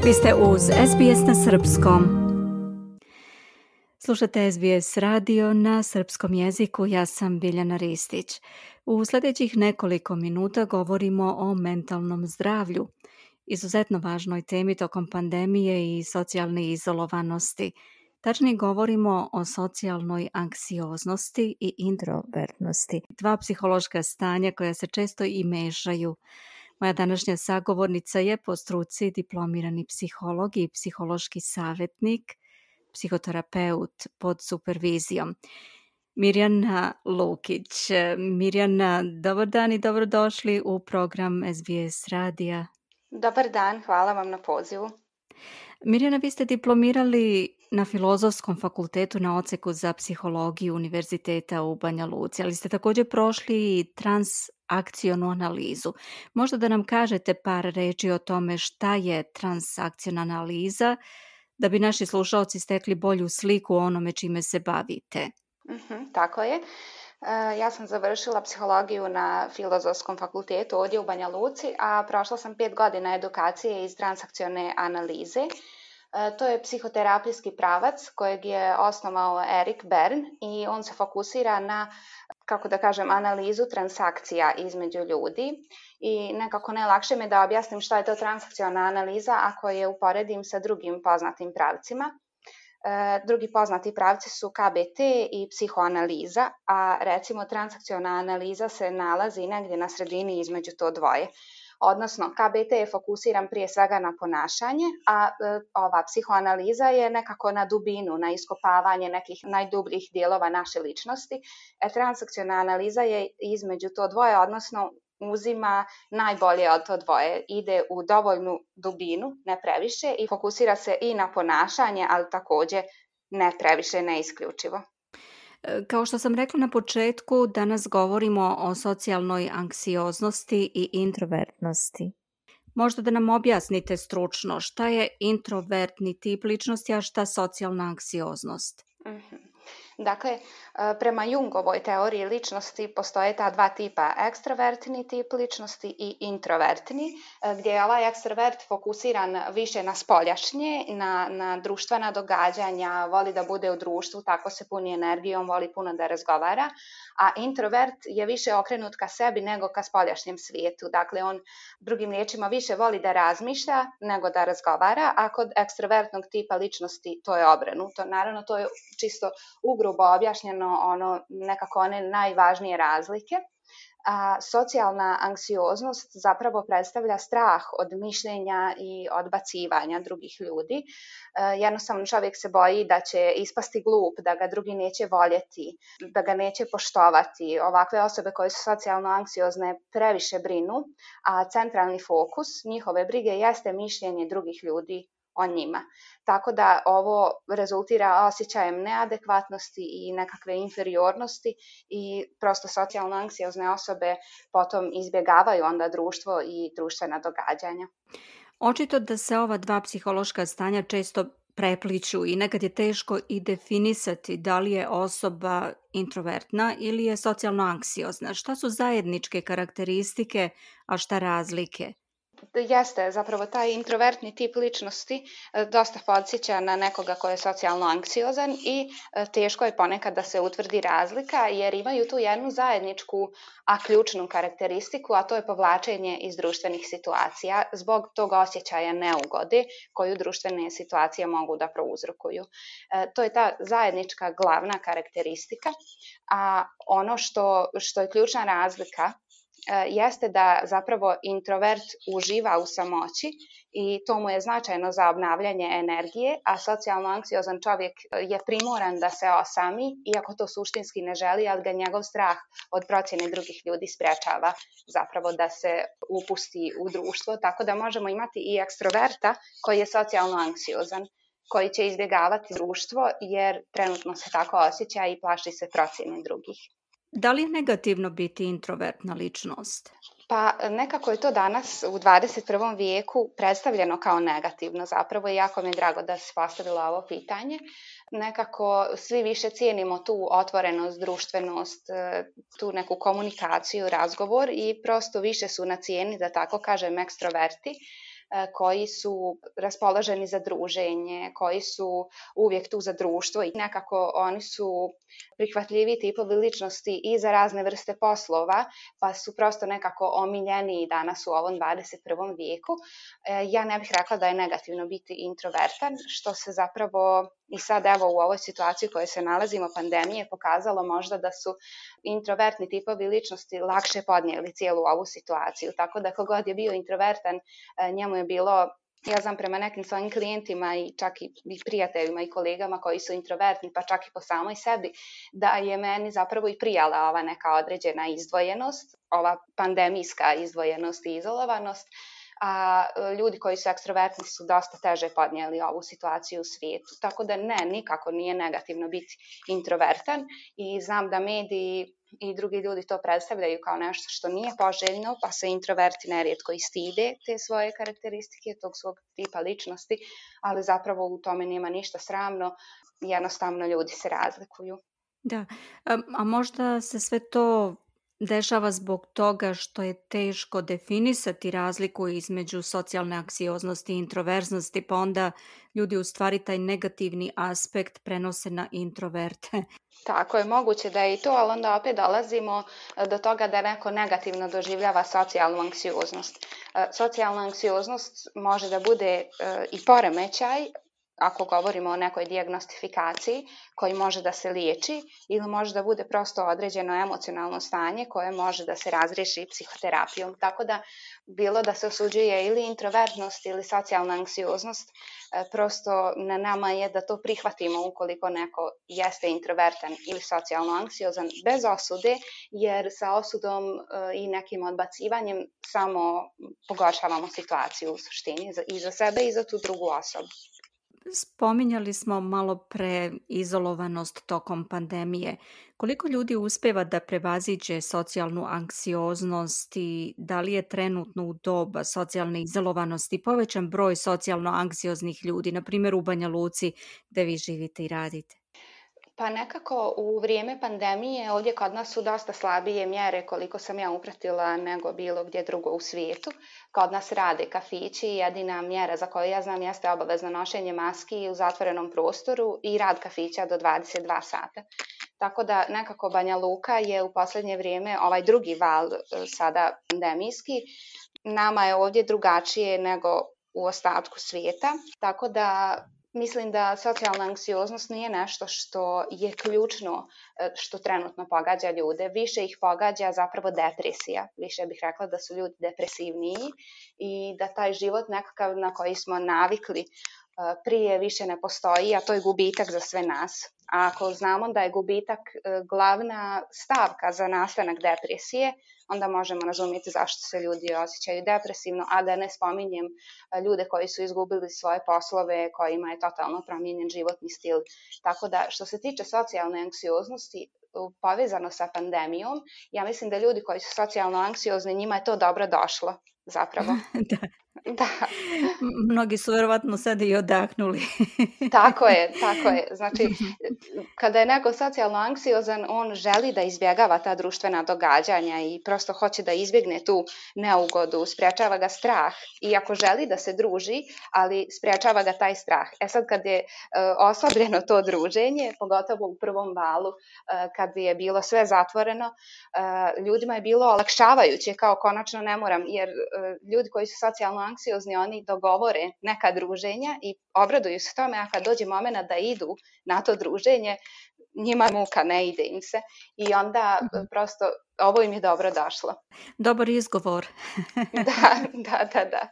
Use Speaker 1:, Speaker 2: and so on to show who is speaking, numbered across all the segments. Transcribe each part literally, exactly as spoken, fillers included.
Speaker 1: Vi ste uz S B S na srpskom. Slušate S B S radio na srpskom jeziku, ja sam Biljana Ristić. U sljedećih nekoliko minuta govorimo o mentalnom zdravlju, izuzetno važnoj temi tokom pandemije i socijalne izolovanosti. Tačnije govorimo o socijalnoj anksioznosti i introvertnosti, dva psihološka stanja koja se često i mešaju. Moja današnja sagovornica je po struci diplomirani psiholog i psihološki savjetnik, psihoterapeut pod supervizijom. Mirjana Lukić. Mirjana, dobar dan i dobrodošli u program S B S radija.
Speaker 2: Dobar dan, hvala vam na pozivu.
Speaker 1: Mirjana, vi ste diplomirali na Filozofskom fakultetu na odseku za psihologiju Univerziteta u Banja Luci, ali ste također prošli i transakcionu analizu. Možda da nam kažete par reči o tome šta je transakciona analiza, da bi naši slušalci stekli bolju sliku o onome čime se bavite.
Speaker 2: Uh-huh, tako je. Uh, ja sam završila psihologiju na Filozofskom fakultetu ovdje u Banja Luci, a prošla sam pet godina edukacije iz transakcione analize. Uh, to je psihoterapijski pravac kojeg je osnovao Erik Bern i on se fokusira na, kako da kažem, analizu transakcija između ljudi. I nekako najlakše mi je da objasnim šta je to transakciona analiza ako je uporedim sa drugim poznatim pravcima. E, drugi poznati pravci su K B T i psihoanaliza, a recimo transakciona analiza se nalazi negdje na sredini između to dvoje. Odnosno, K B T je fokusiran prije svega na ponašanje, a e, ova psihoanaliza je nekako na dubinu, na iskopavanje nekih najdubljih dijelova naše ličnosti. E, transakciona analiza je između to dvoje, odnosno uzima najbolje od to dvoje, ide u dovoljnu dubinu, ne previše, i fokusira se i na ponašanje, ali također ne previše, ne isključivo.
Speaker 1: Kao što sam rekla na početku, danas govorimo o socijalnoj anksioznosti i introvertnosti. Možda da nam objasnite stručno šta je introvertni tip ličnosti, a šta socijalna anksioznost?
Speaker 2: Mm-hmm. Dakle, prema Jungovoj teoriji ličnosti postoje ta dva tipa, ekstrovertni tip ličnosti i introvertni, gdje je ovaj ekstrovert fokusiran više na spoljašnje, na, na društvena događanja, voli da bude u društvu, tako se puni energijom, voli puno da razgovara, a introvert je više okrenut ka sebi nego ka spoljašnjem svijetu. Dakle, on drugim riječima više voli da razmišlja nego da razgovara, a kod ekstrovertnog tipa ličnosti to je obrnuto. Naravno, to je čisto ugrubo objašnjeno ono, nekako one najvažnije razlike. A socijalna anksioznost zapravo predstavlja strah od mišljenja i odbacivanja drugih ljudi. E, jednostavno čovjek se boji da će ispasti glup, da ga drugi neće voljeti, da ga neće poštovati. Ovakve osobe koje su socijalno anksiozne previše brinu, a centralni fokus njihove brige jeste mišljenje drugih ljudi o njima. Tako da ovo rezultira osjećajem neadekvatnosti i nekakve inferiornosti i prosto socijalno anksiozne osobe potom izbjegavaju onda društvo i društvena događanja.
Speaker 1: Očito da se ova dva psihološka stanja često prepliču i nekad je teško i definisati da li je osoba introvertna ili je socijalno anksiozna. Šta su zajedničke karakteristike, a šta razlike?
Speaker 2: Jeste, zapravo taj introvertni tip ličnosti dosta podsjeća na nekoga ko je socijalno anksiozan i teško je ponekad da se utvrdi razlika jer imaju tu jednu zajedničku, a ključnu karakteristiku, a to je povlačenje iz društvenih situacija zbog tog osjećaja neugode koju društvene situacije mogu da prouzrokuju. E, to je ta zajednička glavna karakteristika, a ono što, što je ključna razlika jeste da zapravo introvert uživa u samoći i to mu je značajno za obnavljanje energije, a socijalno anksiozan čovjek je primoran da se osami, iako to suštinski ne želi, ali ga njegov strah od procjene drugih ljudi sprečava zapravo da se upusti u društvo, tako da možemo imati i ekstroverta koji je socijalno anksiozan, koji će izbjegavati društvo jer trenutno se tako osjeća i plaši se procjene drugih.
Speaker 1: Da li je negativno biti introvertna ličnost?
Speaker 2: Pa nekako je to danas u dvadeset prvom vijeku predstavljeno kao negativno. Zapravo jako mi je drago da se postavilo ovo pitanje. Nekako svi više cijenimo tu otvorenost, društvenost, tu neku komunikaciju, razgovor i prosto više su na cijeni, da tako kažem, ekstroverti. koji su raspoloženi za druženje, koji su uvijek tu za društvo i nekako oni su prihvatljivi tipovi ličnosti i za razne vrste poslova, pa su prosto nekako omiljeni danas u ovom dvadeset prvom vijeku. Ja ne bih rekla da je negativno biti introvertan, što se zapravo i sad evo u ovoj situaciji u kojoj se nalazimo, pandemije, pokazalo možda da su introvertni tipovi ličnosti lakše podnijeli cijelu ovu situaciju. Tako da kogod je bio introvertan, njemu je bilo, ja znam prema nekim svojim klijentima i čak i prijateljima i kolegama koji su introvertni, pa čak i po samoj sebi, da je meni zapravo i prijala ova neka određena izdvojenost, ova pandemijska izdvojenost i izolovanost, a ljudi koji su ekstrovertni su dosta teže podnijeli ovu situaciju u svijetu. Tako da ne, nikako nije negativno biti introvertan i znam da mediji i drugi ljudi to predstavljaju kao nešto što nije poželjno, pa se introverti nerijetko i stide te svoje karakteristike, tog svog tipa ličnosti, ali zapravo u tome nema ništa sramno, jednostavno ljudi se razlikuju.
Speaker 1: Da, a, a možda se sve to dešava zbog toga što je teško definisati razliku između socijalne anksioznosti i introverznosti, pa onda ljudi u stvari taj negativni aspekt prenose na introverte.
Speaker 2: Tako je, moguće da je i to, ali onda opet dolazimo do toga da neko negativno doživljava socijalnu anksioznost. Socijalna anksioznost može da bude i poremećaj, ako govorimo o nekoj dijagnostifikaciji koji može da se liječi ili može da bude prosto određeno emocionalno stanje koje može da se razriješi psihoterapijom. Tako da bilo da se osuđuje ili introvertnost ili socijalna anksioznost, prosto na nama je da to prihvatimo ukoliko neko jeste introvertan ili socijalno anksiozan bez osude, jer sa osudom i nekim odbacivanjem samo pogoršavamo situaciju u suštini i za sebe i za tu drugu osobu.
Speaker 1: Spominjali smo malo pre izolovanost tokom pandemije. Koliko ljudi uspeva da prevaziđe socijalnu anksioznost i da li je trenutno u doba socijalne izolovanosti povećan broj socijalno anksioznih ljudi, na primjer u Banja Luci gdje vi živite i radite?
Speaker 2: Pa nekako u vrijeme pandemije ovdje kod nas su dosta slabije mjere koliko sam ja upratila nego bilo gdje drugo u svijetu. Kod nas rade kafići, jedina mjera za koju ja znam jeste obavezno nošenje maski u zatvorenom prostoru i rad kafića do dvadeset dva sata. Tako da nekako Banja Luka je u posljednje vrijeme ovaj drugi val sada pandemijski. Nama je ovdje drugačije nego u ostatku svijeta, tako da mislim da socijalna anksioznost nije nešto što je ključno što trenutno pogađa ljude. Više ih pogađa zapravo depresija. Više bih rekla da su ljudi depresivniji i da taj život nekakav na koji smo navikli prije više ne postoji, a to je gubitak za sve nas. A ako znamo da je gubitak glavna stavka za nastanak depresije, onda možemo razumjeti zašto se ljudi osjećaju depresivno, a da ne spominjem ljude koji su izgubili svoje poslove, kojima je totalno promijenjen životni stil. Tako da što se tiče socijalne anksioznosti, povezano sa pandemijom, ja mislim da ljudi koji su socijalno anksiozni, njima je to dobro došlo zapravo.
Speaker 1: Da.
Speaker 2: Da.
Speaker 1: Mnogi su verovatno sad i odahnuli.
Speaker 2: Tako je, tako je. Znači, kada je neko socijalno anksiozan, on želi da izbjegava ta društvena događanja i prosto hoće da izbjegne tu neugodu, sprječava ga strah. Iako želi da se druži, ali sprječava ga taj strah. E sad kad je uh, oslabljeno to druženje, pogotovo u prvom valu, uh, kad je bilo sve zatvoreno, uh, ljudima je bilo olakšavajuće, kao konačno ne moram, jer uh, ljudi koji su socijalno anksiozni, oni dogovore neka druženja i obraduju se tome, a kad dođe moment da idu na to druženje, njima je muka, ne ide im se. I onda mm-hmm. prosto ovo im je dobro došlo.
Speaker 1: Dobar izgovor.
Speaker 2: Da, da, da, da.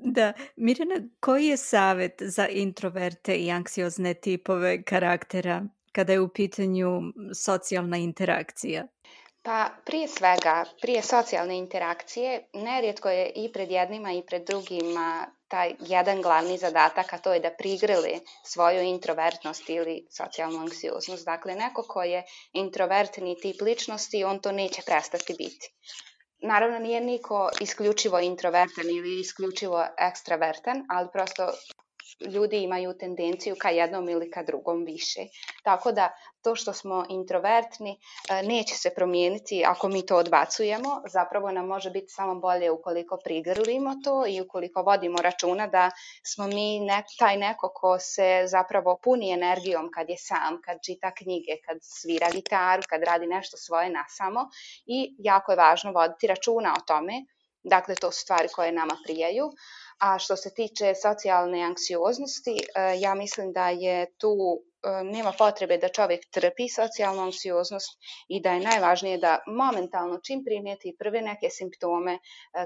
Speaker 1: Da, Mirjana, koji je savjet za introverte i anksiozne tipove karaktera kada je u pitanju socijalna interakcija?
Speaker 2: Pa prije svega, prije socijalne interakcije, nerijetko je i pred jednima i pred drugima taj jedan glavni zadatak, a to je da prigrle svoju introvertnost ili socijalnu anksioznost. Dakle, neko ko je introvertni tip ličnosti, on to neće prestati biti. Naravno, nije niko isključivo introvertan ili isključivo ekstravertan, ali prosto ljudi imaju tendenciju ka jednom ili ka drugom više. Tako da to što smo introvertni neće se promijeniti ako mi to odbacujemo. Zapravo nam može biti samo bolje ukoliko prigrlimo to i ukoliko vodimo računa da smo mi ne, taj neko ko se zapravo puni energijom kad je sam, kad čita knjige, kad svira gitaru, kad radi nešto svoje nasamo i jako je važno voditi računa o tome. Dakle, to su stvari koje nama prijaju. A što se tiče socijalne anksioznosti, ja mislim da je tu nema potrebe da čovjek trpi socijalnu anksioznost i da je najvažnije da momentalno čim primijeti prve neke simptome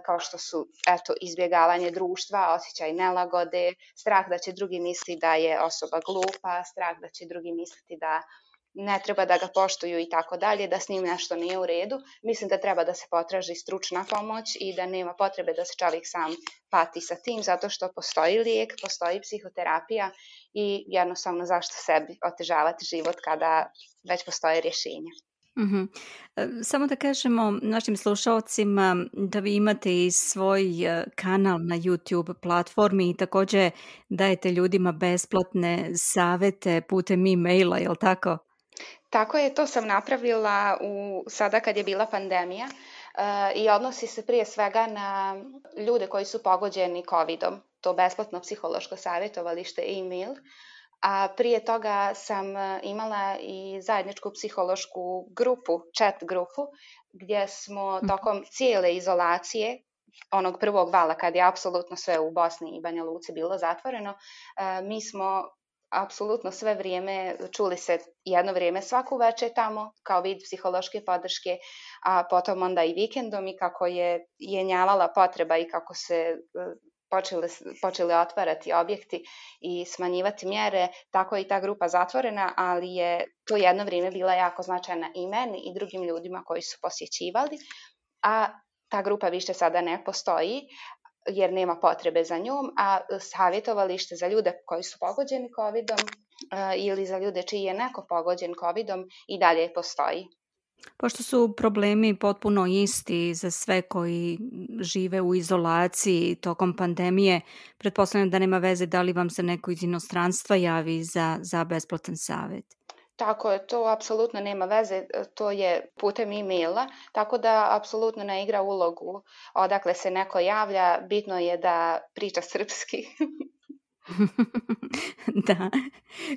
Speaker 2: kao što su eto, izbjegavanje društva, osjećaj nelagode, strah da će drugi misliti da je osoba glupa, strah da će drugi misliti da ne treba da ga poštuju i tako dalje, da s njim nešto nije u redu. Mislim da treba da se potraži stručna pomoć i da nema potrebe da se čovjek sam pati sa tim, zato što postoji lijek, postoji psihoterapija i jednostavno zašto sebi otežavati život kada već postoje rješenja.
Speaker 1: Mm-hmm. Samo da kažemo našim slušalcima da vi imate i svoj kanal na YouTube platformi i također dajete ljudima besplatne savjete putem e-maila, je li tako?
Speaker 2: Tako je, to sam napravila u, sada kad je bila pandemija uh, i odnosi se prije svega na ljude koji su pogođeni covidom. To besplatno psihološko savjetovalište e-mail. A prije toga sam imala i zajedničku psihološku grupu, chat grupu, gdje smo tokom cijele izolacije, onog prvog vala kad je apsolutno sve u Bosni i Banja Luci bilo zatvoreno, uh, mi smo apsolutno sve vrijeme čuli se jedno vrijeme svaku večer tamo kao vid psihološke podrške, a potom onda i vikendom i kako je jenjavala potreba i kako se počeli, počeli otvarati objekti i smanjivati mjere, tako je i ta grupa zatvorena, ali je to jedno vrijeme bila jako značajna i meni i drugim ljudima koji su posjećivali, a ta grupa više sada ne postoji jer nema potrebe za njom, a savjetovalište za ljude koji su pogođeni covidom uh, ili za ljude čiji je neko pogođen covidom i dalje postoji.
Speaker 1: Pošto su problemi potpuno isti za sve koji žive u izolaciji tokom pandemije, pretpostavljam da nema veze da li vam se neko iz inostranstva javi za, za besplatan savjet.
Speaker 2: Tako je, to apsolutno nema veze, to je putem e-maila, tako da apsolutno ne igra ulogu odakle se neko javlja, bitno je da priča srpski.
Speaker 1: Da.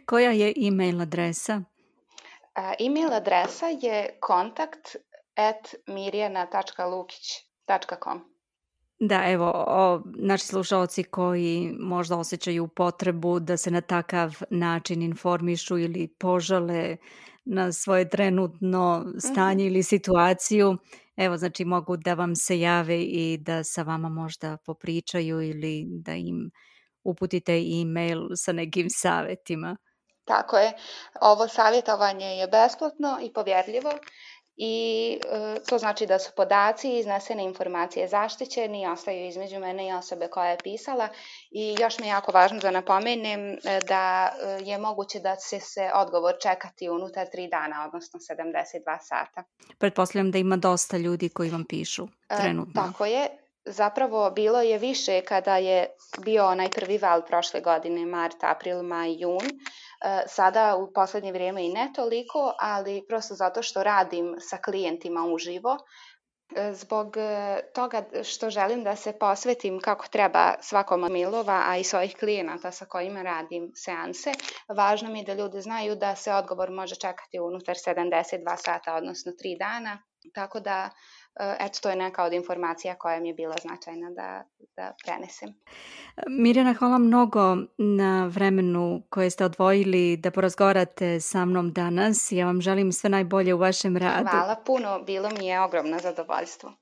Speaker 1: Koja je e-mail adresa?
Speaker 2: Uh, e-mail adresa je kontakt at mirjana tačka lukić tačka com.
Speaker 1: Da, evo, o, naši slušalci koji možda osjećaju potrebu da se na takav način informišu ili požale na svoje trenutno stanje mm-hmm. ili situaciju, evo, znači mogu da vam se jave i da sa vama možda popričaju ili da im uputite e-mail sa nekim savjetima.
Speaker 2: Tako je, ovo savjetovanje je besplatno i povjerljivo. I e, to znači da su podaci i iznesene informacije zaštićeni i ostaju između mene i osobe koja je pisala. I još mi je jako važno da napomenem da je moguće da će se odgovor čekati unutar tri dana, odnosno sedamdeset dva sata.
Speaker 1: Pretpostavljam da ima dosta ljudi koji vam pišu trenutno.
Speaker 2: E, tako je. Zapravo bilo je više kada je bio onaj prvi val prošle godine, mart, april, maj, jun. Sada u posljednje vrijeme i ne toliko, ali prosto zato što radim sa klijentima uživo. Zbog toga što želim da se posvetim kako treba svakom od mailova, a i svojih klijenata sa kojima radim seanse, važno mi je da ljudi znaju da se odgovor može čekati unutar sedamdeset dva sata, odnosno tri dana. Tako da, eto, to je neka od informacija koja mi je bila značajna da, da prenesem.
Speaker 1: Mirjana, hvala mnogo na vremenu koje ste odvojili da porazgovarate sa mnom danas. Ja vam želim sve najbolje u vašem radu.
Speaker 2: Hvala puno, bilo mi je ogromno zadovoljstvo.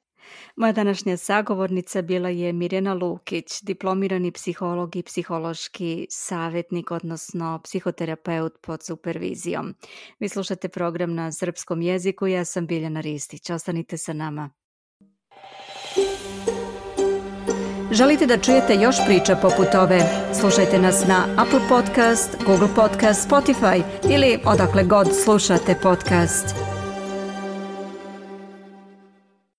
Speaker 1: Moja današnja sagovornica bila je Mirjana Lukić, diplomirani psiholog i psihološki savjetnik, odnosno psihoterapeut pod supervizijom. Vi slušate program na srpskom jeziku, ja sam Biljana Ristić. Ostanite sa nama. Želite da čujete još priča poput ove? Slušajte nas na Apple Podcast, Google Podcast, Spotify ili odakle god slušate podcast.